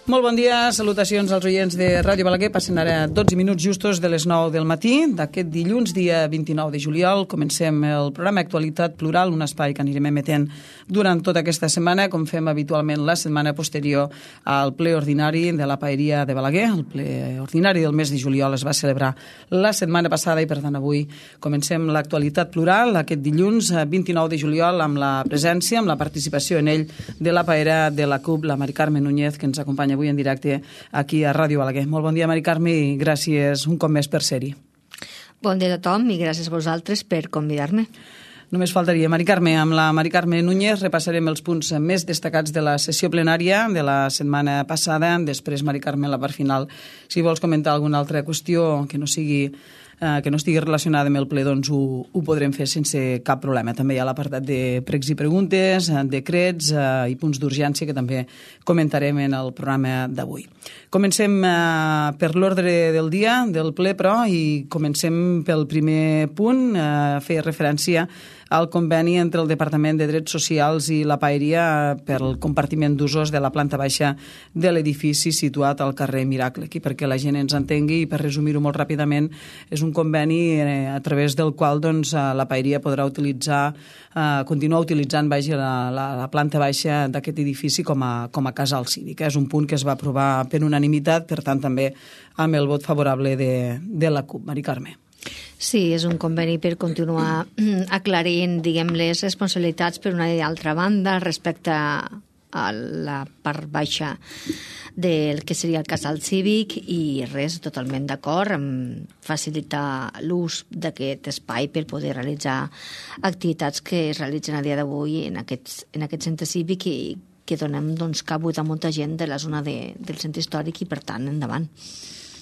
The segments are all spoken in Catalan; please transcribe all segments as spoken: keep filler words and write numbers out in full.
Molt bon dia, salutacions als oients de Ràdio Balaguer. Passen ara dotze minuts justos de les nou del matí d'aquest dilluns, dia vint-i-nou de juliol. Comencem el programa Actualitat Plural, un espai que anirem emetent durant tota aquesta setmana, com fem habitualment la setmana posterior al ple ordinari de la Paeria de Balaguer. El ple ordinari del mes de juliol es va celebrar la setmana passada i, per tant, avui comencem l'Actualitat Plural aquest dilluns vint-i-nou de juliol amb la presència, amb la participació en ell de la paera de la CUP, la Mari Carme Núñez, que ens acompanya avui en directe aquí a Ràdio Balaguer. Molt bon dia, Mari Carme, i gràcies un cop més per ser-hi. Bon dia a tothom i gràcies a vosaltres per convidar-me. Només faltaria, Mari Carme. Amb la Mari Carme Núñez repassarem els punts més destacats de la sessió plenària de la setmana passada. Després, Mari Carme, la part final, si vols comentar alguna altra qüestió que no sigui eh, que no estigui relacionada amb el ple, doncs ho, ho podrem fer sense cap problema. També hi ha l'apartat de pregs i preguntes, decrets eh, i punts d'urgència que també comentarem en el programa d'avui. Comencem eh, per l'ordre del dia del ple, però, i comencem pel primer punt. Eh, feia referència al conveni entre el Departament de Drets Socials i la Paeria per el compartiment d'usos de la planta baixa de l'edifici situat al carrer Miracle. Aquí, perquè la gent ens entengui i per resumir-ho molt ràpidament, és un conveni eh, a través del qual doncs, la Paeria podrà utilitzar, eh, continuar utilitzant vaja, la, la, la planta baixa d'aquest edifici com a, com a casal cívic. És un punt que es va aprovar per unanimitat, per tant també amb el vot favorable de, de la CUP. Mari Carme. Sí, és un conveni per continuar aclarint, diguem, les responsabilitats per una i altra banda respecte a la part baixa del que seria el casal cívic, i res, totalment d'acord amb facilitar l'ús d'aquest espai per poder realitzar activitats que es realitzen a dia d'avui en aquest, en aquest centre cívic i que donem doncs, cabut a molta gent de la zona de, del centre històric i, per tant, endavant.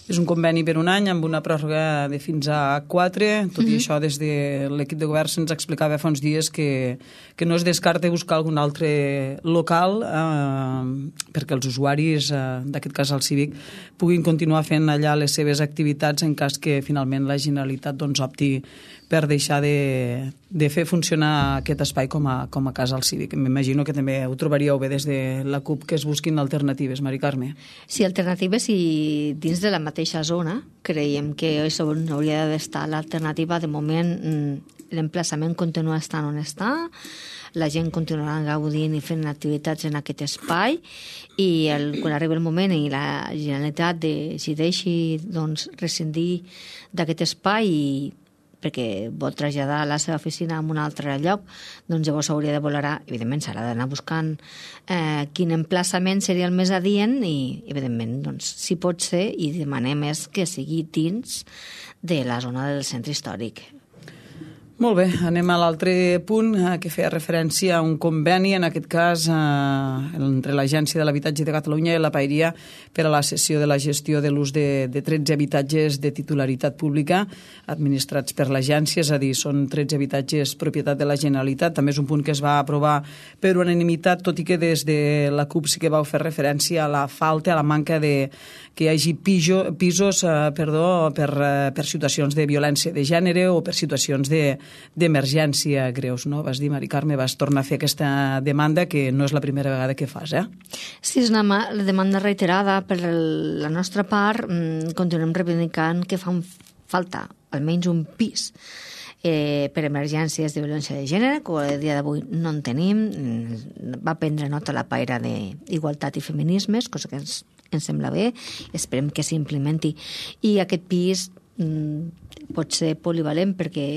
És un conveni per un any amb una pròrroga de fins a quatre. Tot mm-hmm. i això, des de l'equip de govern se'ns explicava fa uns dies que, que no es descarta buscar algun altre local eh, perquè els usuaris eh, d'aquest casal cívic puguin continuar fent allà les seves activitats en cas que finalment la Generalitat doncs, opti per deixar de, de fer funcionar aquest espai com a, com a casal cívic. M'imagino que també ho trobaríeu bé des de la CUP, que es busquin alternatives, Mari Carme. Sí, alternatives, i dins de la mateixa zona creiem que és on hauria d'estar l'alternativa. De moment l'emplaçament continua estant on està, la gent continuarà gaudint i fent activitats en aquest espai, i el, quan arribi el moment i la Generalitat decideixi doncs, rescindir d'aquest espai i perquè vol traslladar la seva oficina a un altre lloc, doncs llavors s'hauria de valorar, evidentment s'haurà d'anar buscant eh, quin emplaçament seria el més adient i, evidentment, doncs, si pot ser, i demanem és que sigui dins de la zona del centre històric. Molt bé, anem a l'altre punt eh, que feia referència a un conveni, en aquest cas eh, entre l'Agència de l'Habitatge de Catalunya i la Paeria per a la cessió de la gestió de l'ús de, de tretze habitatges de titularitat pública administrats per l'agència, és a dir, són tretze habitatges propietat de la Generalitat. També és un punt que es va aprovar per unanimitat, tot i que des de la CUP sí que vau fer referència a la falta, a la manca de que hi hagi piso, pisos eh, perdó, per, eh, per situacions de violència de gènere o per situacions de d'emergència greus, no? Vas dir, Mari Carme, vas tornar a fer aquesta demanda que no és la primera vegada que fas, eh? Sí, és una demanda reiterada per la nostra part. Continuem reivindicant que fa falta almenys un pis eh, per emergències de violència de gènere, que a dia d'avui no en tenim. Va prendre nota la paera d'Igualtat i Feminismes, cosa que ens, ens sembla bé, esperem que s'implementi. I aquest pis mm, pot ser polivalent perquè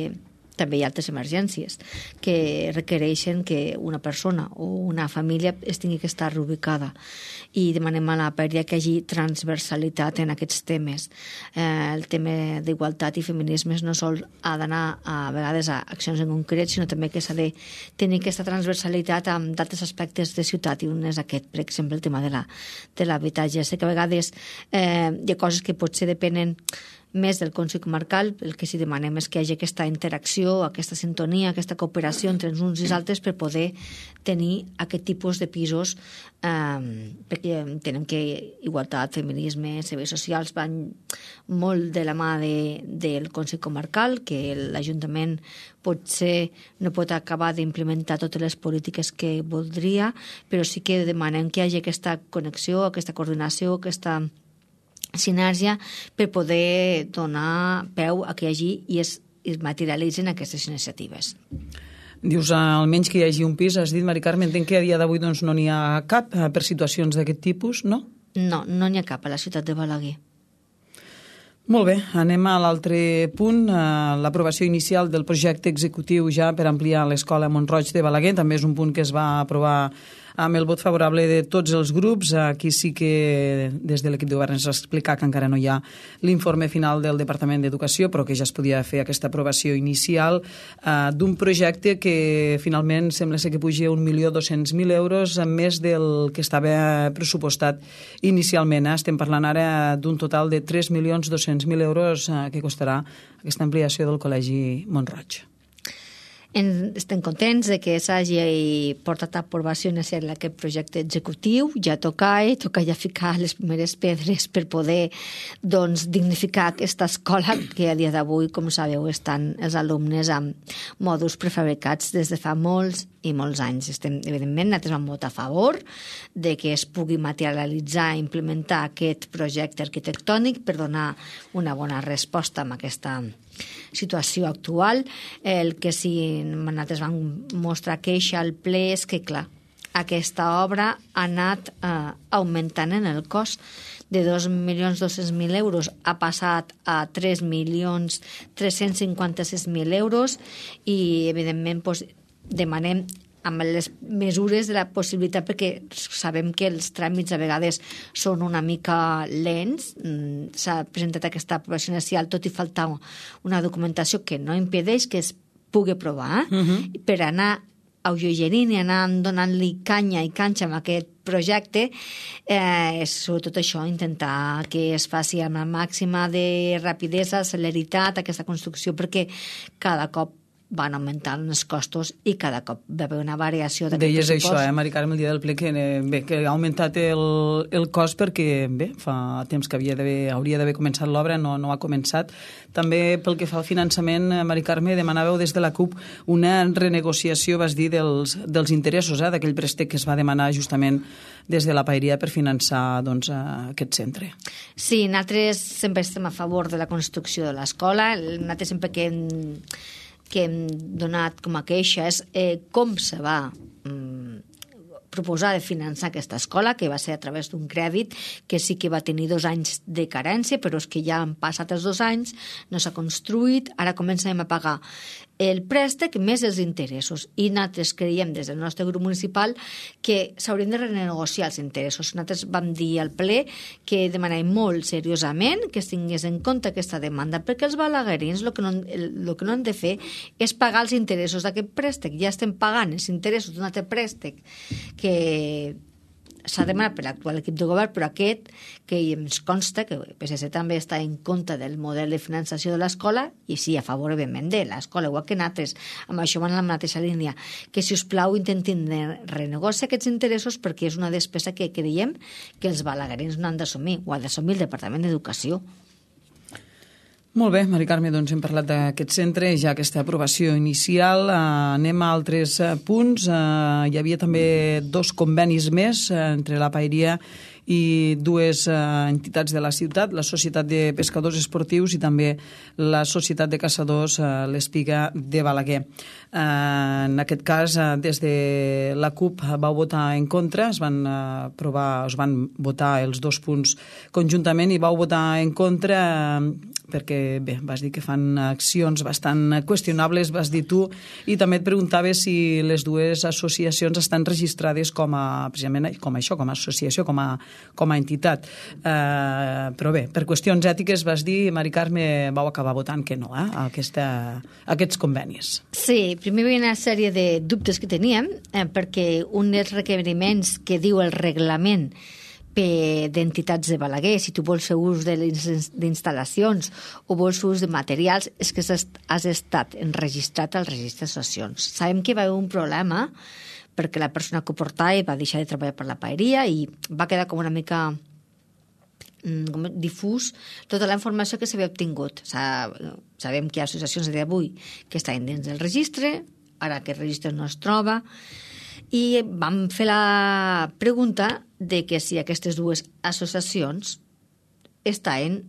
també hi ha altres emergències que requereixen que una persona o una família es tingui que estar reubicada, i demanem a la Paeria que hi hagi transversalitat en aquests temes. Eh, el tema d'igualtat i feminismes no sol ha d'anar a vegades a accions en concret, sinó també que s'ha de tenir aquesta transversalitat amb d'altres aspectes de ciutat, i un és aquest, per exemple, el tema de l'habitatge. Sé que a vegades eh, hi ha coses que potser depenen més del Consell Comarcal, el que sí demanem és que hi hagi aquesta interacció, aquesta sintonia, aquesta cooperació entre els uns i els altres per poder tenir aquest tipus de pisos, eh, perquè entenem que igualtat, feminisme, serveis socials van molt de la mà de, del Consell Comarcal, que l'Ajuntament potser no pot acabar d'implementar totes les polítiques que voldria, però sí que demanem que hi hagi aquesta connexió, aquesta coordinació, aquesta sinergia per poder donar peu a que hi hagi i es, es materialitzin aquestes iniciatives. Dius, almenys que hi hagi un pis, has dit, Mari Carme, entenc que a dia d'avui doncs, no n'hi ha cap per situacions d'aquest tipus, no? No, no n'hi ha cap a la ciutat de Balaguer. Molt bé, anem a l'altre punt, l'aprovació inicial del projecte executiu ja per ampliar l'escola Mont-roig de Balaguer. També és un punt que es va aprovar amb el vot favorable de tots els grups. Aquí sí que des de l'equip de govern ens va explicar que encara no hi ha l'informe final del Departament d'Educació, però que ja es podia fer aquesta aprovació inicial eh, d'un projecte que finalment sembla ser que puja un milió dos-cents mil euros més del que estava pressupostat inicialment. Estem parlant ara d'un total de tres milions dos-cents mil euros eh, que costarà aquesta ampliació del Col·legi Mont-roig. En, estem contents de que s'hagi portat a aprovació inicial aquest projecte executiu. Ja toca, eh? toca ja ficar les primeres pedres per poder doncs, dignificar aquesta escola que a dia d'avui, com sabeu, estan els alumnes amb mòduls prefabricats des de fa molts i molts anys. Estem, evidentment, nosaltres vam votar a favor de que es pugui materialitzar i implementar aquest projecte arquitectònic per donar una bona resposta a aquesta situació actual. El que sí nosaltres vam mostrar queixa al ple és que, clar, aquesta obra ha anat eh, augmentant en el cost de dos milions dos-cents mil euros, ha passat a tres milions tres-cents cinquanta-sis mil euros i, evidentment, doncs, demanem amb les mesures de la possibilitat, perquè sabem que els tràmits a vegades són una mica lents. S'ha presentat aquesta aprovació inicial, tot i faltar una documentació que no impedeix que es pugui aprovar, uh-huh. per anar alleugerint i anar donant-li canya i canxa amb aquest projecte, eh, és sobretot això, intentar que es faci amb la màxima de rapidesa, celeritat, aquesta construcció, perquè cada cop van augmentant els costos i cada cop va haver una variació d'aquest pressupost. Deies això, eh, Mari Carme, el dia del ple, que, bé, que ha augmentat el, el cost perquè, bé, fa temps que havia hauria d'haver començat l'obra, no, no ha començat. També pel que fa al finançament, Mari Carme, demanàveu des de la CUP una renegociació, vas dir, dels, dels interessos, eh, d'aquell préstec que es va demanar justament des de la Paeria per finançar doncs, aquest centre. Sí, nosaltres sempre estem a favor de la construcció de l'escola. Nosaltres sempre que hem que hem donat com a queixa és eh, com se va mm, proposar de finançar aquesta escola, que va ser a través d'un crèdit que sí que va tenir dos anys de carència, però és que ja han passat els dos anys, no s'ha construït, ara comencem a pagar el préstec més els interessos. I nosaltres creiem des del nostre grup municipal que s'haurien de renegociar els interessos. Nosaltres vam dir al ple que demanàvem molt seriosament que es tingués en compte aquesta demanda, perquè els balaguerins el que no, el, el que no han de fer és pagar els interessos d'aquest préstec. Ja estem pagant els interessos d'un altre préstec que s'ha demanat per l'actual equip de govern, però aquest, que ens consta que el P S C també està en contra del model de finançació de l'escola, i sí, a favor, evidentment, de l'escola, igual que nosaltres, amb això van a la mateixa línia, que, si us plau, intentin renegociar aquests interessos, perquè és una despesa que creiem que els balaguerins no han d'assumir, o ha d'assumir el Departament d'Educació. Molt bé, Mari Carme, doncs hem parlat d'aquest centre, ja aquesta aprovació inicial. Uh, anem a altres uh, punts. Uh, hi havia també dos convenis més uh, entre la Paeria i dues uh, entitats de la ciutat, la Societat de Pescadors Esportius i també la Societat de Caçadors, uh, l'Espiga de Balaguer. Uh, en aquest cas, uh, des de la CUP vau votar en contra, es van uh, aprovar, es van votar els dos punts conjuntament i vau votar en contra uh, perquè, bé, vas dir que fan accions bastant qüestionables, vas dir tu, i també et preguntaves si les dues associacions estan registrades com a, precisament com a això, com a associació, com a, com a entitat. Uh, però bé, per qüestions ètiques, vas dir, Mari Carme, vau acabar votant que no, eh, a, aquesta, a aquests convenis. Sí, primer hi havia una sèrie de dubtes que teníem, eh, perquè un dels requeriments que diu el reglament d'entitats de Balaguer, si tu vols fer ús d'instal·lacions o vols fer ús de materials, és que has estat enregistrat al registre d'associacions. Sabem que va haver un problema perquè la persona que ho portava va deixar de treballar per la paeria i va quedar com una mica com difús tota la informació que s'havia obtingut. Sabem que hi ha associacions d'avui que estan dins del registre, ara aquest registre no es troba, i vam fer la pregunta de que si aquestes dues associacions estaven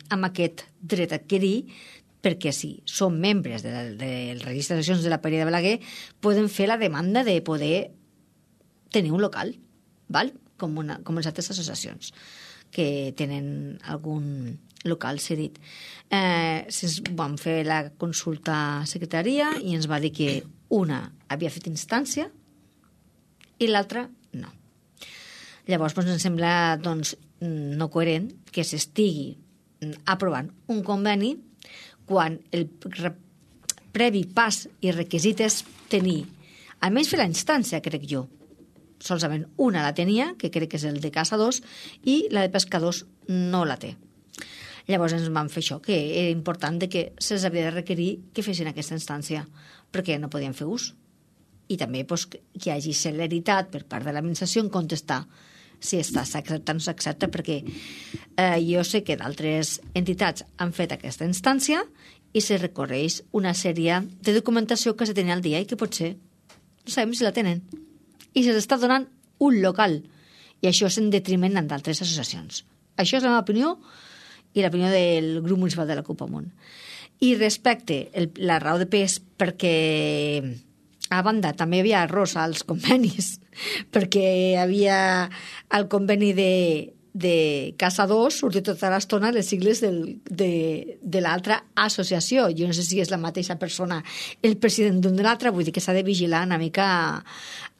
amb aquest dret a adquirir, perquè si són membres del, del registre d'associacions de la Paeria de Balaguer, poden fer la demanda de poder tenir un local, val? Com, una, com les altres associacions que tenen algun local cedit. Eh, vam fer la consulta a secretaria i ens va dir que una havia fet instància i l'altra no. Llavors doncs, ens sembla doncs, no coherent que s'estigui aprovant un conveni quan el previ pas i requisit és tenir, almenys fer la instància, crec jo. Solament una la tenia, que crec que és el de caçadors, i la de pescadors no la té. Llavors ens vam fer això, que era important de que se'ls havia de requerir que fessin aquesta instància, perquè no podien fer ús. I també doncs, que hi hagi celeritat per part de l'administració en contestar si està s'accepta o no s'accepta, perquè eh, jo sé que d'altres entitats han fet aquesta instància i se recorreix una sèrie de documentació que se tenia al dia i que potser no sabem si la tenen. I se'ls està donant un local. I això és en detriment d'altres associacions. Això és la meva opinió i l'opinió del grup municipal de la CUP Amunt. I respecte el, la raó de pes, perquè a banda també hi havia errors als convenis, perquè hi havia el conveni de, de caçadors, sortir tota l'estona les sigles del, de, de l'altra associació. Jo no sé si és la mateixa persona el president d'un de l'altre, vull dir que s'ha de vigilar una mica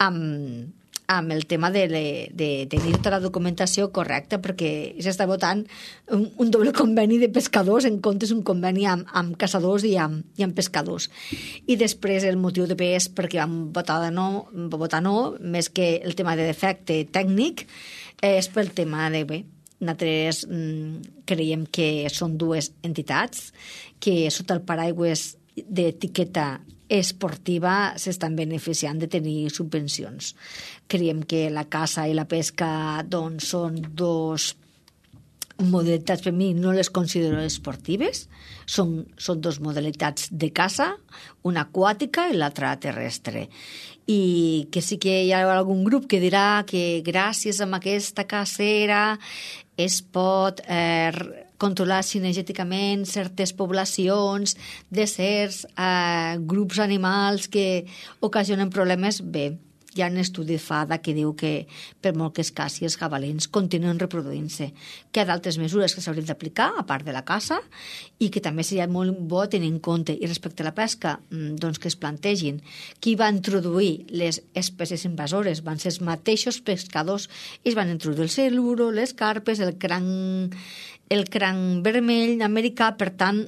amb, amb el tema de, de tenir tota la documentació correcta, perquè s'està votant un, un doble conveni de pescadors en comptes un conveni amb, amb caçadors i amb, i amb pescadors. I després el motiu de pes perquè vam votar de no, votar no, més que el tema de defecte tècnic, és pel tema de, bé, nosaltres mm, creiem que són dues entitats que sota el paraigües d'etiqueta esportiva s'estan beneficiant de tenir subvencions. Creiem que la caça i la pesca doncs, són dos modalitats, per mi no les considero esportives, són, són dos modalitats de caça, una aquàtica i l'altra terrestre. I que sí que hi ha algun grup que dirà que gràcies a aquesta cacera es pot eh, controlar cinegèticament certes poblacions de certs eh, grups animals que ocasionen problemes. Bé, hi ha un estudi FADA que diu que per molt que es caci els jabalins continuen reproduint-se, que hi ha d'altres mesures que s'haurien d'aplicar a part de la caça i que també seria molt bo tenir en compte. I respecte a la pesca, doncs que es plantegin qui va introduir les espècies invasores van ser els mateixos pescadors i es van introduir el siluro, les carpes, el cranc el cranc vermell americà, per tant,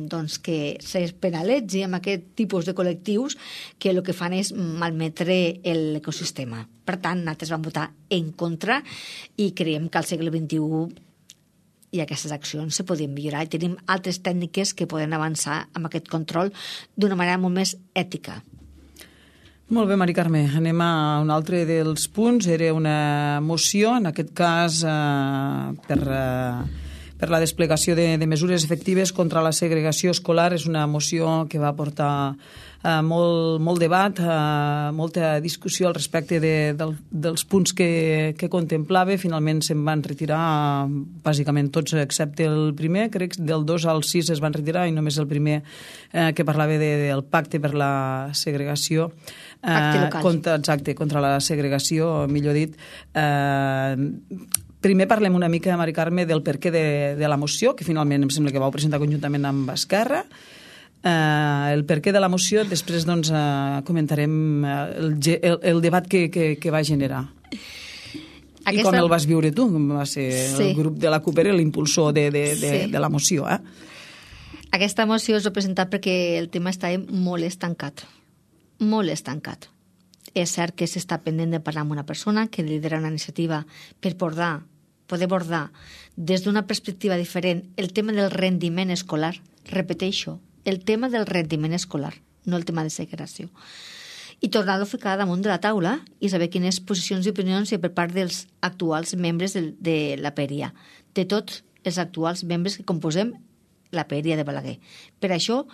doncs que es penalitzi amb aquest tipus de col·lectius que el que fan és malmetre l'ecosistema. Per tant, nosaltres vam votar en contra i creiem que al segle vint-i-u i aquestes accions se podien millorar i tenim altres tècniques que poden avançar amb aquest control d'una manera molt més ètica. Molt bé, Mari Carme. Anem a un altre dels punts. Era una moció, en aquest cas, eh, per... Eh, per la desplegació de, de mesures efectives contra la segregació escolar. És una moció que va portar eh, molt, molt debat, eh, molta discussió al respecte de, del, dels punts que, que contemplava. Finalment se'n van retirar eh, bàsicament tots, excepte el primer. Crec que del dos al sis es van retirar i només el primer eh, que parlava de, del pacte per la segregació. Pacte local. Eh, contra, exacte, contra la segregació, millor dit. Eh, Primer parlem una mica, Mari Carme, del perquè de, de la moció, que finalment em sembla que vau presentar conjuntament amb Esquerra. Eh, el perquè de la moció, després doncs, eh, comentarem el, el, el debat que, que, que va generar. Aquesta... I com el vas viure tu, com va ser sí. El grup de la CUP era l'impulsor de, de, de, sí. de la moció. Eh? Aquesta moció és presentat perquè el tema està molt estancat. Molt estancat. És cert que s'està pendent de parlar amb una persona que lidera una iniciativa per portar poder abordar des d'una perspectiva diferent el tema del rendiment escolar, repeteixo, el tema del rendiment escolar, no el tema de segregació, i tornar-lo a ficar damunt de la taula i saber quines posicions i opinions hi ha per part dels actuals membres de, de la P E R I A, de tots els actuals membres que composem la P E R I A de Balaguer. Per això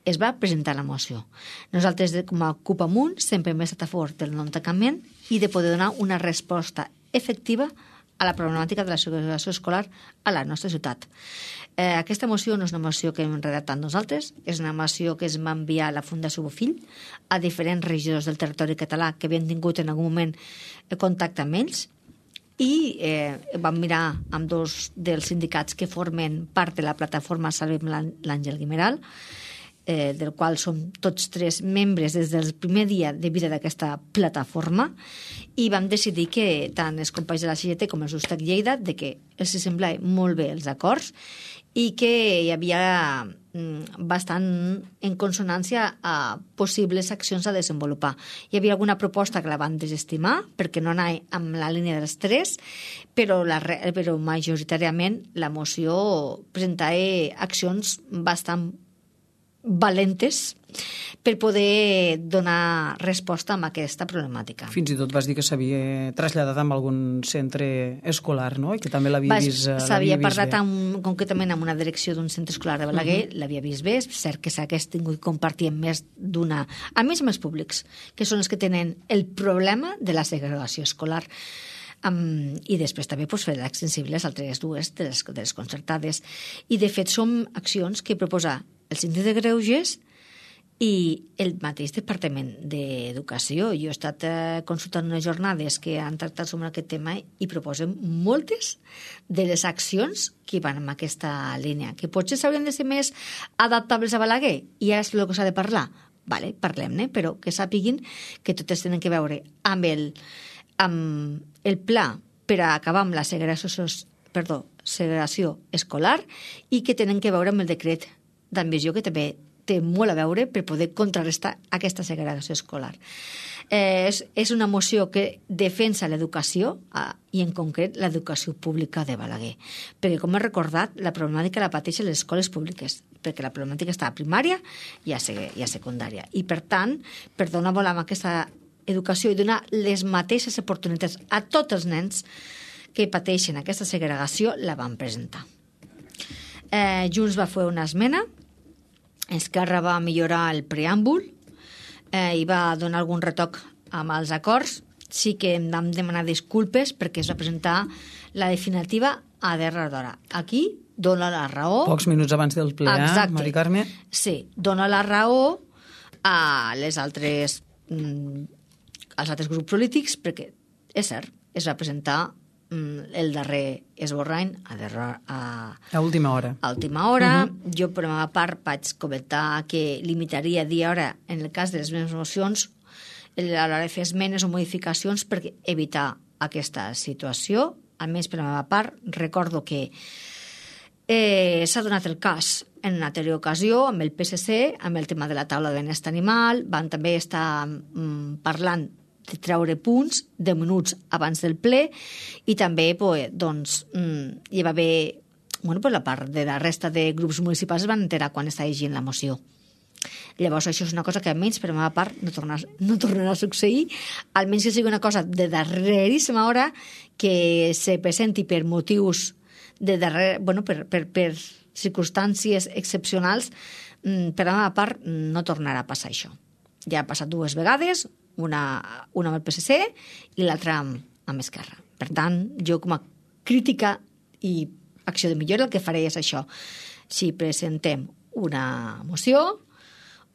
es va presentar la moció. Nosaltres, com a CUP Amunt, sempre hem estat a favor del non-tancament i de poder donar una resposta efectiva a la problemàtica de la segregació escolar a la nostra ciutat. Eh, aquesta moció no és una moció que hem redactat nosaltres, és una moció que es va enviar a la Fundació Bofill, a diferents regidors del territori català que havien tingut en algun moment contacte amb ells, i eh, vam mirar amb dos dels sindicats que formen part de la plataforma Salvem l'Àngel Guimeral, eh, del qual som tots tres membres des del primer dia de vida d'aquesta plataforma, i vam decidir que tant els companys de la C G T com els d'Ustec Lleida de que els semblaven molt bé els acords i que hi havia bastant en consonància a possibles accions a desenvolupar. Hi havia alguna proposta que la van desestimar perquè no anava amb la línia dels tres, però, la, però majoritàriament la moció presentava accions bastant valentes per poder donar resposta a aquesta problemàtica. Fins i tot vas dir que s'havia traslladat amb algun centre escolar, no? I que també l'havia vist, s'havia parlat amb, concretament amb una direcció d'un centre escolar de Balaguer, uh -huh. l'havia vist bé, és cert que s'hagués tingut compartir amb més d'una... A més amb els públics, que són els que tenen el problema de la segregació escolar. Um, i després també pues, fer extensibles altres dues de les, de les concertades. I de fet són accions que proposa el síndic de Greuges i el mateix Departament d'Educació. Jo he estat eh, consultant unes jornades que han tractat sobre aquest tema i proposen moltes de les accions que van en aquesta línia, que potser s'haurien de ser més adaptables a Balaguer, i és el que s'ha de parlar. Vale, parlem-ne, però que sàpiguin que totes tenen que veure amb el, amb el pla per a acabar amb la segregació, perdó, segregació escolar, i que tenen que veure amb el decret d'ambició, que també té molt a veure per poder contrarrestar aquesta segregació escolar. Eh, és, és una moció que defensa l'educació eh, i en concret l'educació pública de Balaguer, perquè com he recordat la problemàtica la pateixen les escoles públiques, perquè la problemàtica està a primària i a, i a secundària, i per tant per donar bola amb aquesta educació i donar les mateixes oportunitats a tots els nens que pateixen aquesta segregació la van presentar. Eh, Junts va fer una esmena, Esquerra va millorar el preàmbul eh, i va donar algun retoc amb els acords. Sí que em vam demanar disculpes perquè es va presentar la definitiva a darrera d'hora. Aquí dona la raó... Pocs minuts abans del ple, eh, Mari Carme? Sí, dona la raó a les altres, mm, als altres grups polítics perquè, és cert, es va presentar el darrer esborrany a, a, a última hora. A última hora. Uh -huh. Jo, per la meva part, vaig comentar que limitaria dia a hora en el cas de les meves mocions a l'hora de fer esmenes o modificacions per evitar aquesta situació. Almenys, per la meva part, recordo que eh, s'ha donat el cas en una anterior ocasió amb el P S C, amb el tema de la taula de benestar animal. Van també estar mm, parlant de treure punts deu minuts abans del ple, i també pues, doncs, hi va haver, bueno, pues la part de la resta de grups municipals es van enterar quan estava llegint la moció. Llavors això és una cosa que almenys per la meva part no tornarà, no tornarà a succeir, almenys que sigui una cosa de darreríssima hora que se presenti per motius de darrer, bueno, per, per, per circumstàncies excepcionals. Per la meva part no tornarà a passar això. Ja ha passat dues vegades, una, una amb el P S C i l'altra amb, amb Esquerra. Per tant, jo com a crítica i acció de millora el que faré és això. Si presentem una moció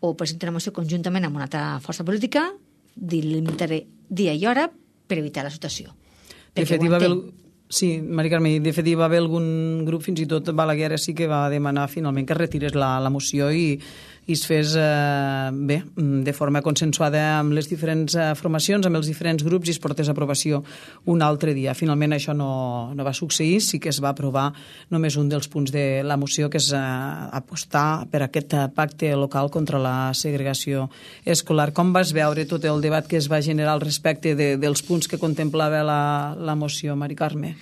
o presentem una moció conjuntament amb una altra força política, delimitaré dia i hora per evitar la situació. De fet, hi va haver... Sí, Mari Carme, de fet hi va haver algun grup, fins i tot Balaguer sí que va demanar finalment que retirés la, la moció i, i es fes eh, bé, de forma consensuada amb les diferents eh, formacions, amb els diferents grups, i es portés a aprovació un altre dia. Finalment això no, no va succeir, sí que es va aprovar només un dels punts de la moció, que és eh, apostar per aquest pacte local contra la segregació escolar. Com vas veure tot el debat que es va generar al respecte de, dels punts que contemplava la, la moció, Mari Carme?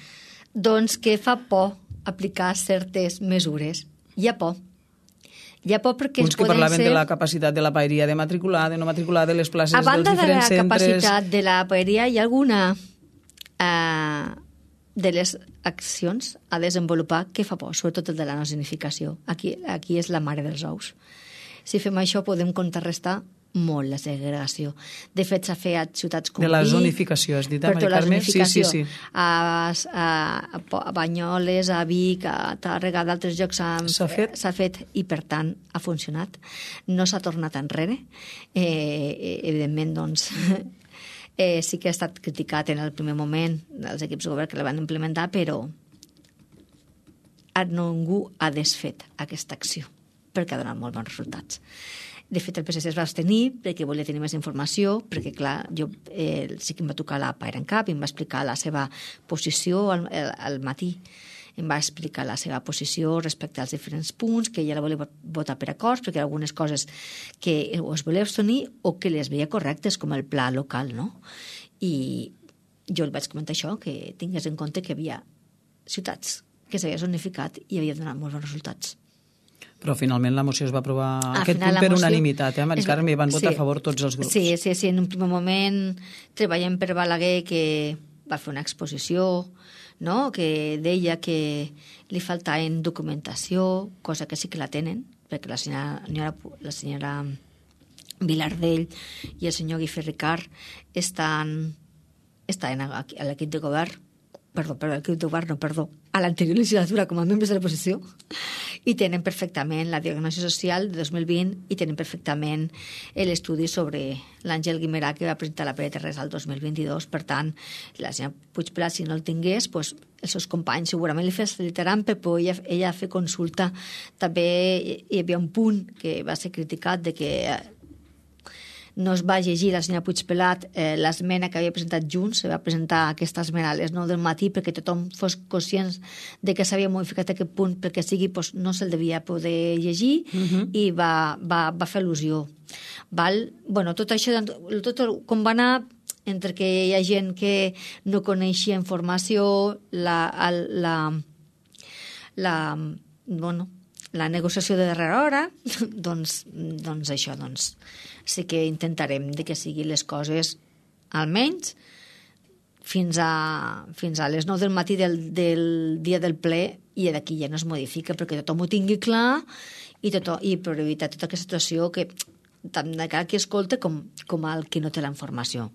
doncs que fa por aplicar certes mesures. Hi ha por. Hi ha por perquè uns que poden parlaven ser... de la capacitat de la paeria de matricular, de no matricular, de les places a dels diferents centres... A banda de la capacitat de la paeria, hi ha alguna eh, de les accions a desenvolupar que fa por, sobretot el de la no zonificació. Aquí, aquí és la mare dels ous. Si fem això podem contrarrestar molt la segregació. De fet, s'ha fet a ciutats com de la Vic, zonificació, has dit, per Mari tota la Carme? zonificació. Sí, sí, sí. A, a, a Banyoles, a Vic, a Tàrrega, d'altres llocs s'ha fet? fet i, per tant, ha funcionat. No s'ha tornat enrere. Eh, evidentment, doncs, eh, sí que ha estat criticat en el primer moment dels equips de govern que la van implementar, però ningú ha desfet aquesta acció perquè ha donat molt bons resultats. De fet, el P S C es va abstenir perquè volia tenir més informació, perquè, clar, jo eh, sí que em va tocar la PaeranCap i em va explicar la seva posició al, al matí. Em va explicar la seva posició respecte als diferents punts, que ella la volia votar per acords, perquè algunes coses que o es volia abstenir o que les veia correctes, com el pla local, no? I jo li vaig comentar això, que tingués en compte que hi havia ciutats que s'havia zonificat i havia donat molts bons resultats. Però finalment la moció es va aprovar Al aquest final, punt per moció... unanimitat, eh, Mari Carme? Van votar sí, a favor tots els grups. Sí, sí, sí, en un primer moment treballem per Balaguer, que va fer una exposició, no?, que deia que li faltaven documentació, cosa que sí que la tenen, perquè la senyora, la senyora Vilardell i el senyor Guifé Ricard estan, estan a l'equip de govern, perdó, perdó, l'equip de govern, no, perdó, a l'anterior legislatura com a membres de l'oposició, i tenen perfectament la diagnosi social de dos mil vint i tenen perfectament l'estudi sobre l'Àngel Guimerà que va presentar la P D T R al dos mil vint-i-dos. Per tant, la senyora Puigpelat, si no el tingués, doncs, els seus companys segurament li facilitaran per poder ella, ella fer consulta. També hi havia un punt que va ser criticat de que no es va llegir la senyora Puigpelat eh, l'esmena que havia presentat Junts, se va presentar aquesta esmena a les nou del matí perquè tothom fos conscient de que s'havia modificat aquest punt perquè sigui, doncs, no se'l devia poder llegir uh-huh. i va, va, va fer al·lusió. Val? Bueno, tot això, tot com va anar, entre que hi ha gent que no coneixia informació, la, la, la, bueno, la negociació de darrera hora, doncs, doncs això, doncs, sí que intentarem de que siguin les coses almenys fins a, fins a les nou del matí del, del dia del ple i d'aquí ja no es modifica perquè tothom ho tingui clar i, tot, i per evitar tota aquesta situació que tant de cara qui escolta com, com el qui no té la informació.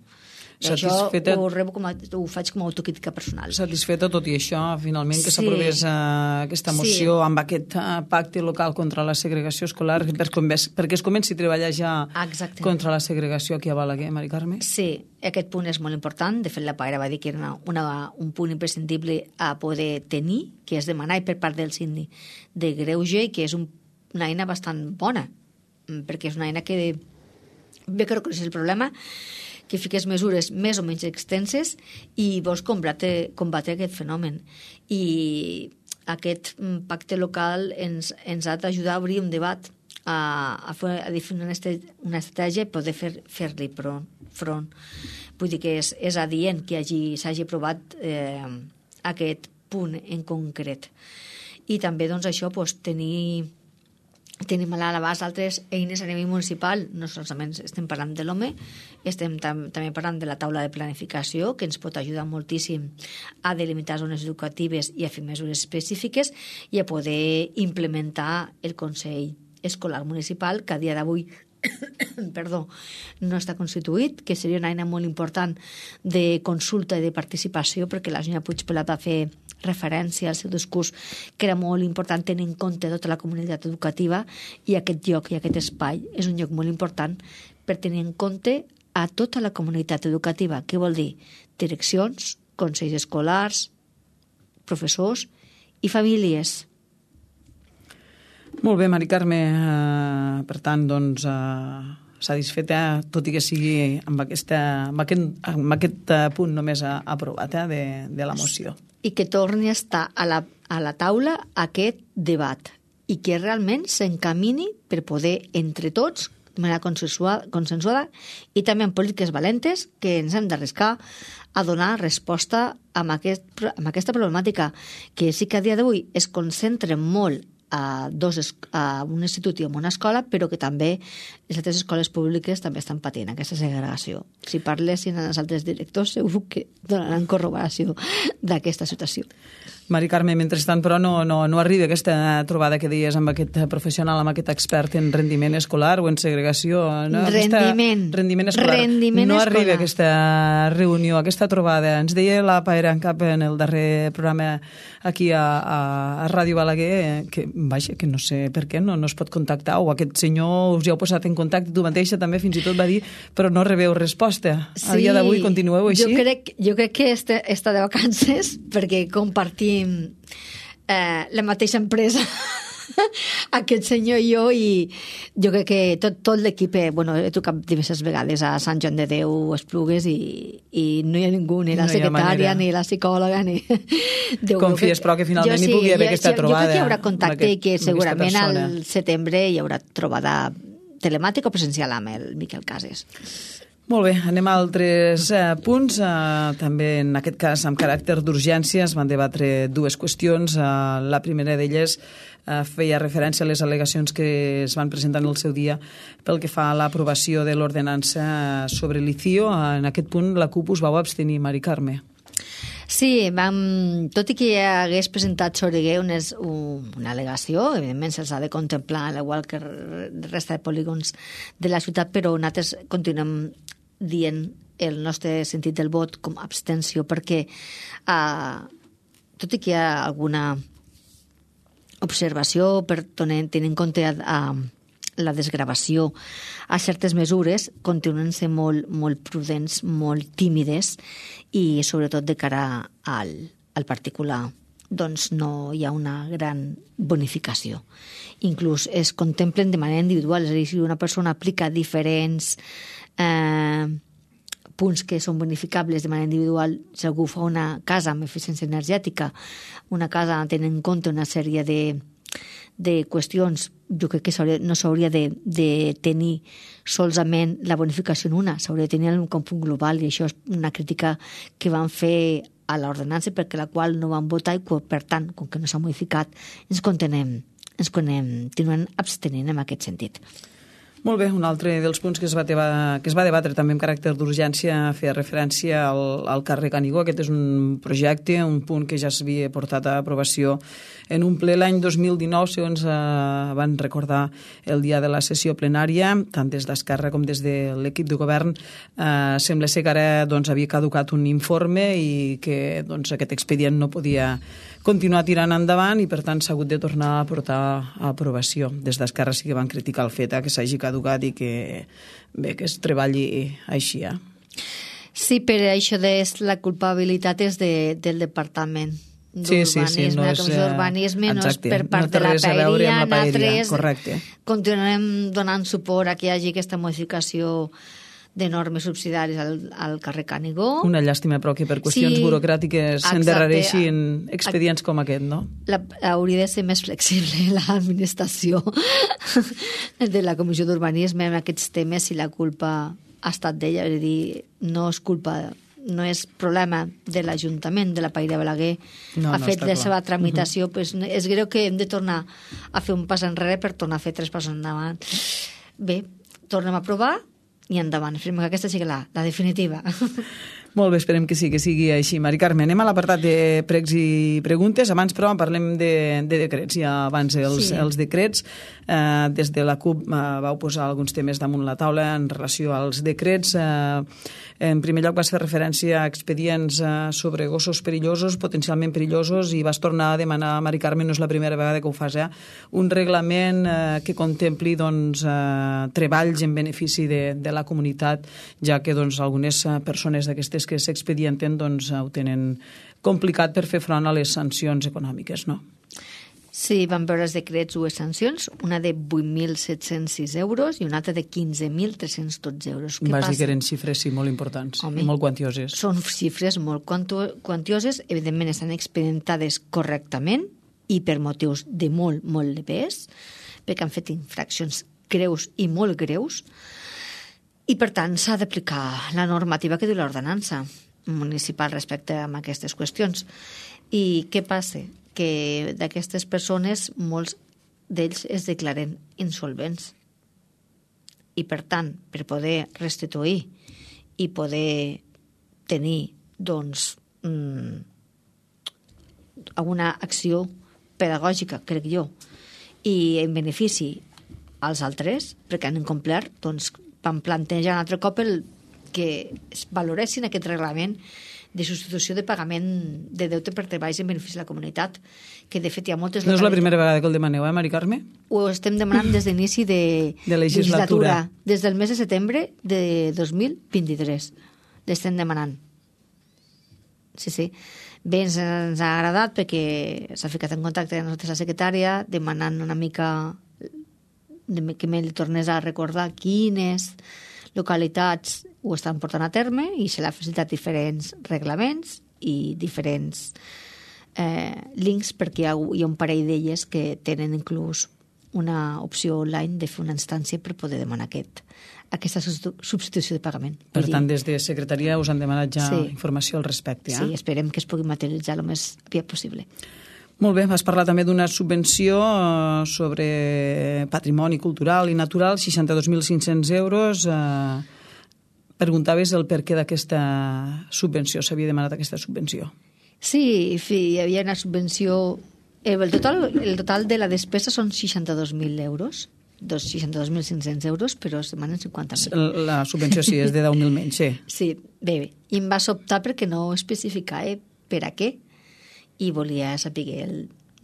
Satisfeta... Això ho, rebo com a, ho faig com a autocrítica personal. Satisfeta, tot i això, finalment, que sí. s'aprovés uh, aquesta moció sí. amb aquest uh, pacte local contra la segregació escolar, per, perquè es comenci a treballar ja Exacte. Contra la segregació aquí a Balaguer, Mari Carme? Sí, aquest punt és molt important. De fet, la Paera va dir que era una, una, un punt imprescindible a poder tenir, que és demanar per part del síndic de greuge i que és un, una eina bastant bona, perquè és una eina que ve que reconeix el problema, que fiques mesures més o menys extenses i vols combatre, combatre aquest fenomen. I aquest pacte local ens, ens ha d'ajudar a obrir un debat, a, a, fer, a definir una, una estratègia i poder fer, fer-li front, front. Vull dir que és, és adient que s'hagi aprovat eh, aquest punt en concret. I també doncs, això doncs, tenir... Tenim a l'abast altres eines a nivell municipal, no solament estem parlant de l'O M E, estem tam també parlant de la taula de planificació, que ens pot ajudar moltíssim a delimitar zones educatives i a fer mesures específiques i a poder implementar el Consell Escolar Municipal, que a dia d'avui perdó, no està constituït, que seria una eina molt important de consulta i de participació, perquè la senyora Puigpelat va fer referència al seu discurs que era molt important tenir en compte tota la comunitat educativa i aquest lloc i aquest espai és un lloc molt important per tenir en compte a tota la comunitat educativa. Què vol dir? Direccions, consells escolars, professors i famílies. Molt bé, Mari Carme. Uh, per tant, doncs, uh, satisfeta, tot i que sigui amb, aquesta, amb, aquest, amb aquest punt només aprovat eh, de, de la moció. I que torni a estar a la, a la taula aquest debat i que realment s'encamini per poder, entre tots, de manera consensuada i també en polítiques valentes que ens hem d'arriscar a donar resposta a, aquest, a aquesta problemàtica que sí que a dia d'avui es concentra molt a, dos, a un institut i a una escola, però que també les altres escoles públiques també estan patint aquesta segregació. Si parlessin amb els altres directors segur que donaran corroboració d'aquesta situació. Mari Carme, mentrestant, però, no, no, no arriba aquesta trobada que deies amb aquest professional, amb aquest expert en rendiment escolar o en segregació. No? Rendiment. Aquesta, rendiment escolar. Rendiment no escolar. arriba aquesta reunió, aquesta trobada. Ens deia la Paera en cap en el darrer programa aquí a, a, a Ràdio Balaguer que, vaja, que no sé per què no, no es pot contactar, o aquest senyor us hi heu posat en contacte, tu mateixa també fins i tot va dir, però no rebeu resposta. Sí, a dia d'avui continueu així? Jo crec, jo crec que este, està de vacances perquè compartim eh, la mateixa empresa aquest senyor i jo, i jo crec que tot, tot l'equip, bueno, he trucat diverses vegades a Sant Joan de Déu, Esplugues, i, i no hi ha ningú, ni la no secretària, ni la psicòloga, ni... Déu, Confies, però, que finalment sí, hi pugui haver jo, aquesta jo, trobada. Jo crec que hi haurà contacte i que segurament al setembre hi haurà trobada telemàtica o presencial amb el Miquel Cases. Molt bé, anem a altres eh, punts. Eh, també en aquest cas amb caràcter d'urgència es van debatre dues qüestions. Eh, la primera d'elles eh, feia referència a les al·legacions que es van presentar en el seu dia pel que fa a l'aprovació de l'ordenança sobre l'I C I O. Eh, en aquest punt la CUP us vau abstenir, Mari Carme. Sí, vam, tot i que ja hagués presentat Soriguer unes, una al·legació, evidentment se'ls ha de contemplar, igual que la resta de polígons de la ciutat, però nosaltres continuem dient el nostre sentit del vot com abstenció, perquè eh, tot i que hi ha alguna observació per tenir en compte a, a la desgravació a certes mesures, continuen sent molt, molt prudents, molt tímides, i sobretot de cara al, al particular doncs no hi ha una gran bonificació. Inclús es contemplen de manera individual, és a dir, si una persona aplica diferents eh, punts que són bonificables de manera individual, si algú fa una casa amb eficiència energètica, una casa tenint en compte una sèrie de de qüestions, jo crec que no s'hauria de, de tenir solament la bonificació en una, s'hauria de tenir un punt global, i això és una crítica que van fer a l'ordenança perquè la qual no van votar, i per tant, com que no s'ha modificat, ens continuem, ens continuem abstenint en aquest sentit. Molt bé, un altre dels punts que es va, teva, que es va debatre també amb caràcter d'urgència feia referència al, al carrer Canigó. Aquest és un projecte, un punt que ja s'havia portat a aprovació en un ple l'any dos mil dinou, segons eh, van recordar el dia de la sessió plenària, tant des d'Esquerra com des de l'equip de govern. Eh, sembla ser que ara doncs, havia caducat un informe i que doncs, aquest expedient no podia continuar tirant endavant, i per tant s'ha hagut de tornar a portar a aprovació. Des d'Esquerra sí que van criticar el fet eh, que s'hagi caducat i que, bé, que es treballi així. Eh? Sí, però això de la culpabilitat és de, del Departament d'Urbanisme. Sí, sí, sí, no és, d'urbanisme no és per part no de la paeria, nosaltres continuem donant suport a que hi hagi aquesta modificació de normes subsidiàries al, al carrer Canigó. Una llàstima, però, que per qüestions sí, burocràtiques s'endarrereixin expedients com aquest, no? La, hauria de ser més flexible l'administració de la Comissió d'Urbanisme en aquests temes, si la culpa ha estat d'ella. És a dir, no és culpa, no és problema de l'Ajuntament, de la Paeria Balaguer, no, ha no, fet la seva tramitació. Uh-huh. Pues, és greu que hem de tornar a fer un pas enrere per tornar a fer tres passos endavant. Bé, tornem a provar i endavant, esperem que aquesta sigui la, la definitiva. Molt bé, esperem que sí, que sigui així. Mari Carme, anem a l'apartat de pregs i preguntes. Abans, però, parlem de, de decrets. Ja abans els, sí. els decrets. Eh, des de la CUP eh, vau posar alguns temes damunt la taula en relació als decrets. Eh, en primer lloc vas fer referència a expedients eh, sobre gossos perillosos, potencialment perillosos, i vas tornar a demanar, Mari Carme, no és la primera vegada que ho fas, eh, un reglament eh, que contempli doncs, eh, treballs en benefici de, de la comunitat, ja que doncs, algunes persones d'aquestes que s'expedienten doncs, ho tenen complicat per fer front a les sancions econòmiques, no? Sí, vam veure els decrets dues sancions, una de vuit mil set-cents sis euros i una altra de quinze mil tres-cents dotze euros. Què Vas passa? dir que eren xifres, sí, molt importants. Home, i molt quantioses. Són xifres molt quantioses, evidentment estan expedientades correctament i per motius de molt, molt de pes, perquè han fet infraccions greus i molt greus, i per tant s'ha d'aplicar la normativa que diu l'ordenança municipal respecte a aquestes qüestions. I què passa? Que d'aquestes persones molts d'ells es declaren insolvents. I per tant, per poder restituir i poder tenir doncs mmm, alguna acció pedagògica, crec jo, i en benefici als altres, perquè han incomplert, doncs van plantejar un altre cop el que es valoressin aquest reglament de substitució de pagament de deute per treballs en benefici de la comunitat, que de fet hi ha moltes... No és la primera vegada que el demaneu, eh, Mari Carme? Ho estem demanant des d'inici de, de legislatura. legislatura, des del mes de setembre de dos mil vint-i-tres. L'estem demanant. Sí, sí. Bé, ens, ens ha agradat perquè s'ha ficat en contacte amb la secretària demanant una mica que me li tornés a recordar quines localitats ho estan portant a terme i se l'ha facilitat diferents reglaments i diferents eh, links perquè hi ha, hi ha un parell d'elles que tenen inclús una opció online de fer una instància per poder demanar aquest, aquesta substitució de pagament. Per tant, des de secretaria us han demanat ja sí. informació al respecte. Eh? Sí, esperem que es pugui materialitzar el més aviat possible. Molt bé, vas parlar també d'una subvenció sobre patrimoni cultural i natural, seixanta-dos mil cinc-cents euros. Preguntaves el per què d'aquesta subvenció, s'havia demanat aquesta subvenció. Sí, hi havia una subvenció... El total, el total de la despesa són seixanta-dos mil euros, seixanta-dos mil cinc-cents euros, però es demanen cinquanta mil. La subvenció sí, és de deu mil menys, sí. Sí, bé, bé. I em va sobtar perquè no especificava per a què, i volia saber el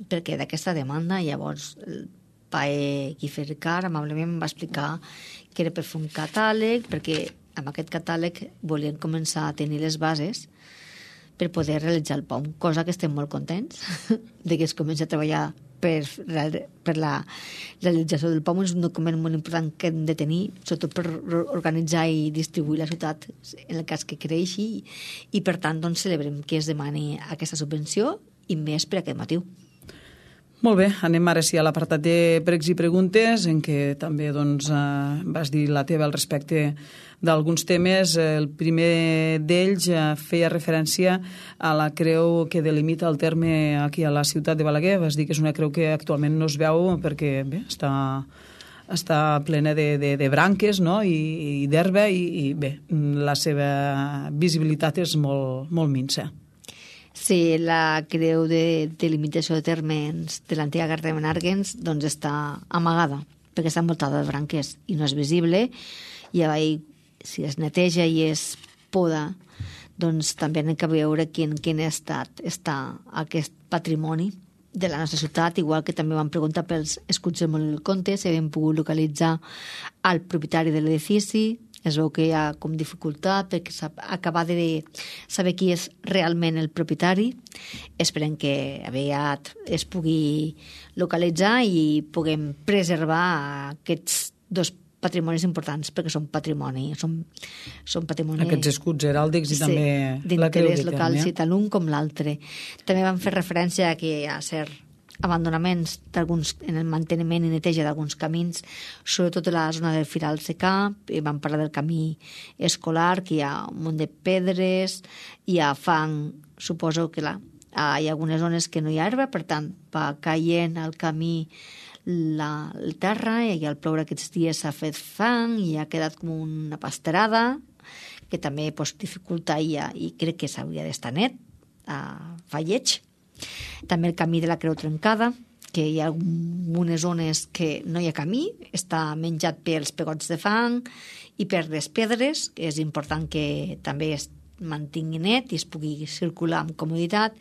per què d'aquesta demanda. Llavors el pae Guifer Car amablement em va explicar que era per fer un catàleg, perquè amb aquest catàleg volien començar a tenir les bases per poder realitzar el P O M, cosa que estem molt contents de que es comenci a treballar per la, per la realització del P O M. És un document molt important que hem de tenir, sobretot per organitzar i distribuir la ciutat en el cas que creixi, i per tant doncs, celebrem que es demani aquesta subvenció i més per aquest motiu. Molt bé, anem ara sí a l'apartat de pregs i preguntes, en què també doncs, eh, vas dir la teva al respecte d'alguns temes. El primer d'ells eh, feia referència a la creu que delimita el terme aquí a la ciutat de Balaguer. Vas dir que és una creu que actualment no es veu perquè bé, està, està plena de, de, de branques, no? I, i d'herba i, i bé, la seva visibilitat és molt, molt minsa. Sí, la creu de delimitació de termes de l'antiga carta de Menàrguens doncs està amagada, perquè està envoltada de branques i no és visible, i ahir, si es neteja i es poda, doncs també hem de veure quin, quin estat està aquest patrimoni de la nostra ciutat, igual que també van preguntar pels escuts del Molí del Comte, si havien pogut localitzar el propietari de l'edifici. Es veu que hi ha com dificultat perquè acabar de saber qui és realment el propietari. Esperem que aviat es pugui localitzar i puguem preservar aquests dos patrimonis importants, perquè són patrimoni. Són, són patrimoni... Aquests escuts heràldics i sí, també la creu d'interès local, sí, tant l'un com l'altre. També van fer referència a que hi ha cert abandonaments d'alguns, en el manteniment i neteja d'alguns camins, sobretot a la zona del Firal Secà. Vam parlar del camí escolar, que hi ha un munt de pedres, hi ha fang, suposo que la, hi ha algunes zones que no hi ha herba, per tant, va caient al camí la, la terra, i al ploure aquests dies s'ha fet fang i ha quedat com una pasterada, que també pues, dificulta i, i crec que s'hauria d'estar net, uh, fa lleig. També el camí de la Creu Trencada, que hi ha algunes zones que no hi ha camí, està menjat pels pegots de fang i per les pedres, que és important que també es mantingui net i es pugui circular amb comoditat.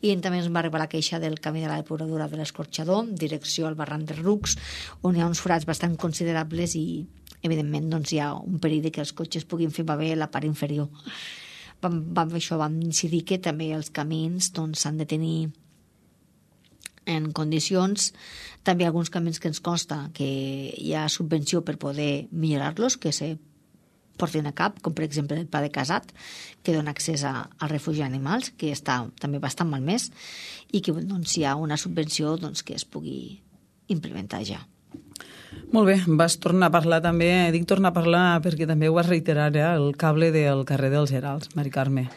I també ens va arribar la queixa del camí de la depuradora de l'Escorxador, direcció al barranc de Rucs, on hi ha uns forats bastant considerables i, evidentment, doncs, hi ha un perill de que els cotxes puguin fer bé la part inferior. Vam, vam, això vam incidir que també els camins doncs, s'han de tenir en condicions. També alguns camins que ens consta que hi ha subvenció per poder millorar-los, que se portin a cap, com per exemple el Pla de Casat, que dona accés a, al refugi d'animals, que està també bastant malmès, i que doncs, hi ha una subvenció doncs, que es pugui implementar ja. Molt bé, vas tornar a parlar també, dic tornar a parlar perquè també ho vas reiterar, eh, el cable del carrer dels Gerals, Mari Carme.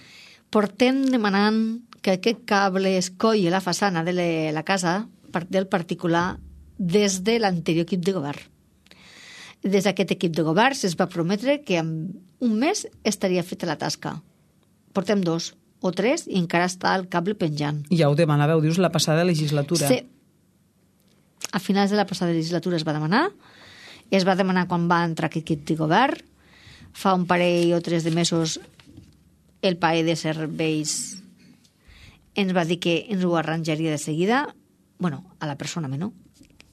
Portem demanant que aquest cable es colli la façana de la casa del particular des de l'anterior equip de govern. Des d'aquest equip de govern es va prometre que en un mes estaria feta la tasca. Portem dos o tres i encara està el cable penjant. Ja ho demanàveu, dius, la passada legislatura. Sí. A finals de la passada legislatura es va demanar, es va demanar quan va entrar aquest equip de govern, fa un parell o tres de mesos el paer de serveis ens va dir que ens ho arranjaria de seguida, bueno, a la persona, no?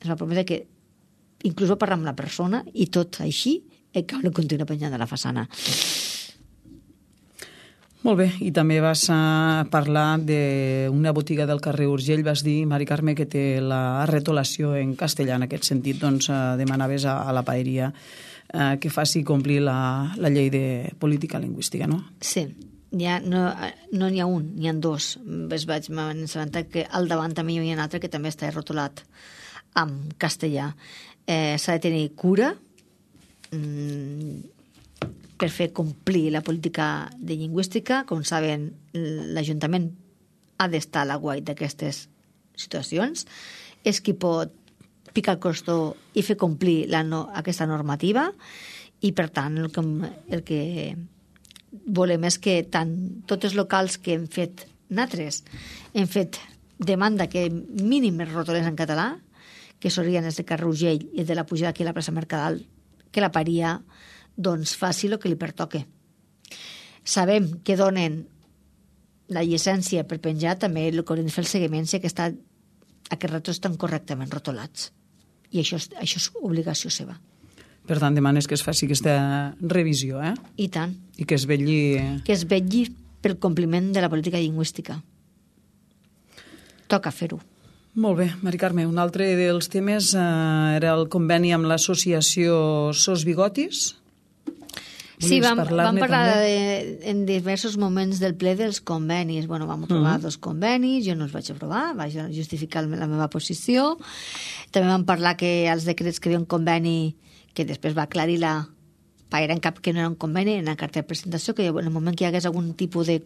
Ens va prometre que inclús va parlar amb la persona i tot així el cable continua penjant de la façana. Molt bé, i també vas a parlar d'una botiga del carrer Urgell, vas dir, Mari Carme, que té la retolació en castellà, en aquest sentit, doncs demanaves a, a la paeria eh, que faci complir la, la llei de política lingüística, no? Sí, ja no no n'hi ha un, n'hi ha dos. Es vaig assabentar que al davant també hi ha un altre que també està rotolat en castellà. Eh, s'ha de tenir cura mmm, per fer complir la política de lingüística. Com saben, l'Ajuntament ha d'estar a l'aguait d'aquestes situacions. És qui pot picar el costó i fer complir la no, aquesta normativa i, per tant, el que, el que volem és que tant tots els locals que hem fet nosaltres hem fet demanda que mínim es rotolés en català, que serien els de carrer Urgell i els de la pujada aquí a la plaça Mercadal, que la paria doncs faci el que li pertoque. Sabem que donen la llicència per penjar, també el que hauríem de fer el seguiment si aquesta, aquests retos estan correctament rotolats. I això, això és obligació seva. Per tant, demanes que es faci aquesta revisió, eh? I tant. I que es vetlli... Que es vetlli pel compliment de la política lingüística. Toca fer-ho. Molt bé, Mari Carme, un altre dels temes eh, era el conveni amb l'associació Sos Bigotis. Sí, vam, vam parlar de, en diversos moments del ple dels convenis. Bueno, vam aprovar uh -huh. dos convenis, jo no els vaig aprovar, vaig justificar la meva posició. També vam parlar que els decrets que hi havia un conveni, que després va aclarir la paera en cap que no era un conveni, en la carta de presentació, que en el moment que hi hagués algun tipus de,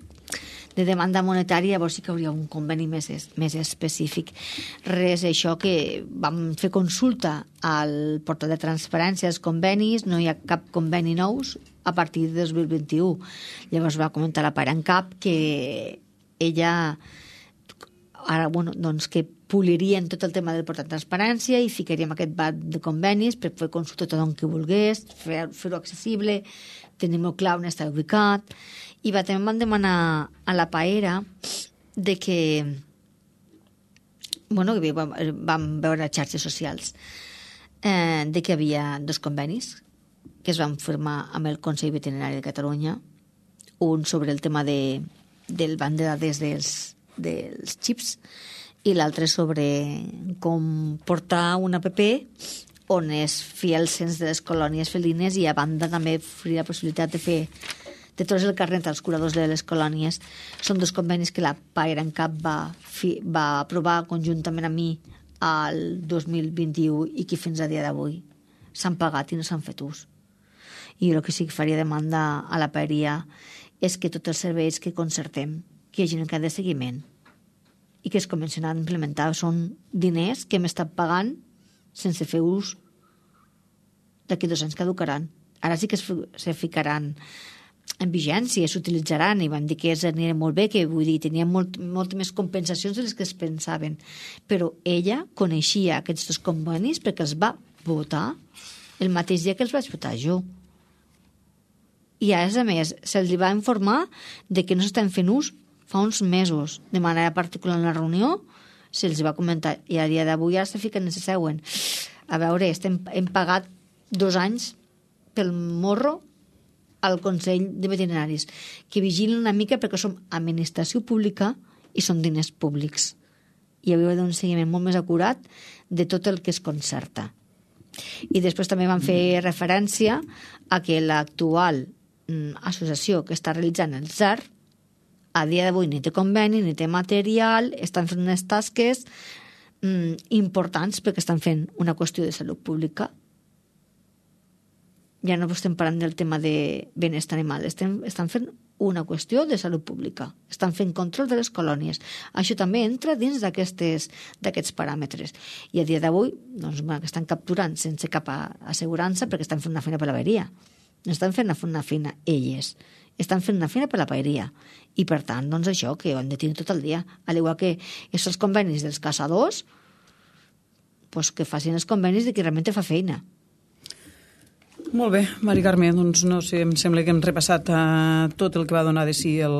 de demanda monetària, llavors sí que hauria un conveni més, més específic. Res, això que vam fer consulta al portal de transparència dels convenis, no hi ha cap conveni nous a partir de dos mil vint-i-u. Llavors va comentar la paera en cap que ella ara, bueno, doncs que polirien tot el tema del portal de transparència i ficaríem aquest bat de convenis per fer consulta a tothom que volgués, fer-ho fer accessible, tenir-ho clar on està ubicat. I va, també van demanar a la paera de que, bueno, que vam, vam veure a xarxes socials eh, de que hi havia dos convenis que es van firmar amb el Consell Veterinari de Catalunya, un sobre el tema de, del banc de dades dels, dels xips i l'altre sobre com portar una app on es fia el cens de les colònies felines i a banda també oferir la possibilitat de fer de tots el carnet als curadors de les colònies. Són dos convenis que la paera en cap va, fi, va aprovar conjuntament amb mi al dos mil vint-i-u i que fins a dia d'avui s'han pagat i no s'han fet ús. I el que sí que faria demanda a la paeria és que tots els serveis que concertem, que hi hagi un cas de seguiment i que es comencen a implementar. Són diners que hem estat pagant sense fer ús. D'aquí dos anys caducaran. Ara sí que es, se ficaran en vigència, s'utilitzaran, i van dir que aniria molt bé, que vull dir, tenien molt, molt més compensacions de les que es pensaven. Però ella coneixia aquests dos convenis perquè els va votar el mateix dia que els vaig votar jo. I a més, se'ls va informar de que no s'estan fent ús fa uns mesos, de manera particular en la reunió, se'ls va comentar, i a dia d'avui ara se fiquen en seuen. A veure, estem, hem pagat dos anys pel morro al Consell de Veterinaris, que vigilin una mica perquè som administració pública i són diners públics. I hauria d'un seguiment molt més acurat de tot el que es concerta. I després també van fer referència a que l'actual mm, associació que està realitzant el Z A R a dia d'avui ni té conveni, ni té material, estan fent unes tasques mm, importants perquè estan fent una qüestió de salut pública ja no estem parlant del tema de benestar animal, estem, estan fent una qüestió de salut pública, estan fent control de les colònies. Això també entra dins d'aquests paràmetres. I a dia d'avui doncs, bueno, estan capturant sense cap assegurança perquè estan fent una feina per la paeria. No estan fent una feina elles, estan fent una feina per la paeria. I per tant, doncs això, que ho han de tenir tot el dia. Al igual que aquests convenis dels caçadors, doncs que facin els convenis de qui realment fa feina. Molt bé, Mari Carme, doncs no sé, em sembla que hem repassat uh, tot el que va donar de si el,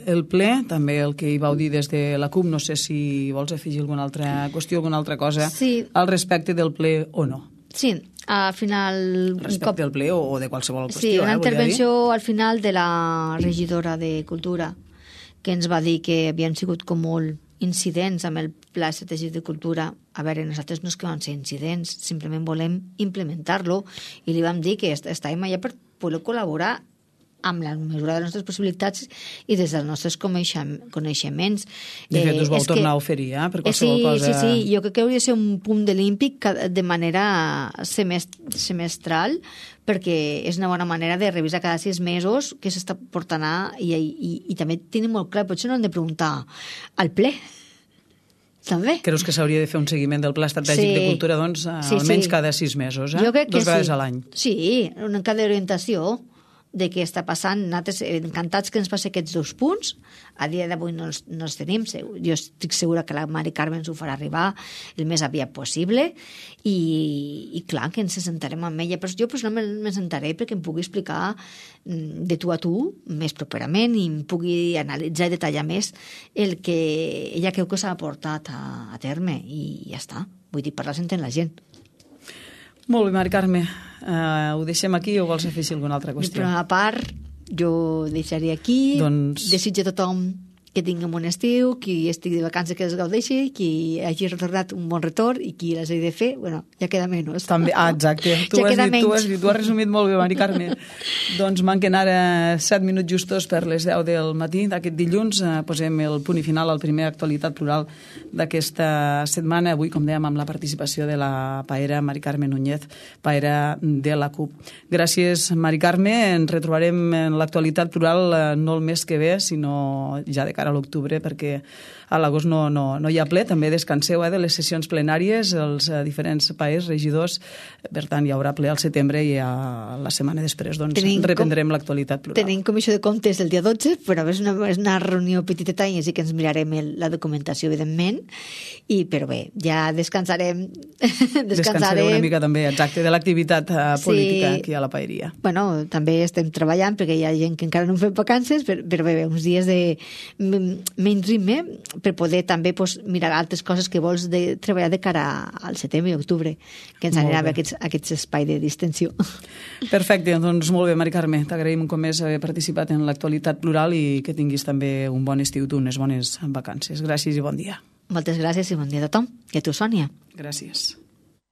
el ple, també el que hi vau dir des de la CUP, no sé si vols afegir alguna altra qüestió, alguna altra cosa sí. al respecte del ple o no. Sí, al final... Respecte cop... del ple o, o de qualsevol qüestió. Sí, una eh, intervenció al final de la regidora de Cultura que ens va dir que havien sigut com molt incidents amb el Pla Estratègic de Cultura. A veure, nosaltres no és que van ser incidents, simplement volem implementar-lo i li vam dir que estàvem allà per poder col·laborar amb la mesura de les nostres possibilitats i des dels nostres coneixements. De fet, us vau eh, tornar que... a oferir, eh, per qualsevol sí, cosa... Sí, sí, jo crec que hauria de ser un punt de l'Olímpic de manera semestral, perquè és una bona manera de revisar cada sis mesos què s'està portant a... I, i, i també tenim molt clar, potser no hem de preguntar al ple, també. Creus que s'hauria de fer un seguiment del Pla Estratègic sí. de Cultura, doncs, sí, almenys sí. cada sis mesos, eh? Jo crec que Dos vegades sí. a l'any. Sí, una cada orientació de què està passant. Nosaltres encantats que ens passi aquests dos punts. A dia d'avui no, els, no els tenim. Jo estic segura que la Mari Carme ens ho farà arribar el més aviat possible i, i clar, que ens sentarem amb ella. Però jo personalment me sentaré perquè em pugui explicar de tu a tu més properament i em pugui analitzar i detallar més el que ella creu que s'ha portat a, a terme i ja està. Vull dir, parlar s'entén la gent. Molt bé, Mari Carme. Uh, ho deixem aquí o vols afegir alguna altra qüestió? Per a part, jo deixaria aquí. Doncs... Desitjo a tothom que tingui un bon estiu, qui estigui de vacances que es gaudeixi, qui hagi retornat un bon retorn i qui les hagi de fer, bueno, ja queda menys. També, ah, exacte. Tu, ja has dit, menys. tu has dit, tu has resumit molt bé, Mari Carme. Doncs manquen ara set minuts justos per les deu del matí d'aquest dilluns. Eh, posem el punt i final al primer Actualitat Plural d'aquesta setmana. Avui, com dèiem, amb la participació de la paera Mari Carme Núñez, paera de la CUP. Gràcies, Mari Carme. Ens retrobarem en l'Actualitat Plural eh, no el mes que ve, sinó ja de cara a l'octubre, perquè a l'agost no, no, no hi ha ple. També descanseu eh, de les sessions plenàries, els eh, diferents paers, regidors. Per tant, hi haurà ple al setembre i a la setmana després doncs, tenim reprendrem com, l'actualitat plural. Tenim comissió de comptes el dia dotze, però és una, és una reunió petiteta i sí que ens mirarem el, la documentació, evidentment, i, però bé, ja descansarem. descansarem. Descansareu una mica també, exacte, de l'activitat eh, política sí. aquí a la paeria. Bueno, també estem treballant, perquè hi ha gent que encara no fem vacances, però, però bé, uns dies de menys ritme per poder també pues, mirar altres coses que vols de, treballar de cara al setembre i octubre, que ens anirà a aquests, aquests espai de distensió. Perfecte, doncs molt bé, Mari Carme, t'agraïm un cop més haver participat en l'actualitat plural i que tinguis també un bon estiu, tu, unes bones vacances. Gràcies i bon dia. Moltes gràcies i bon dia a tothom. I a tu, Sònia. Gràcies.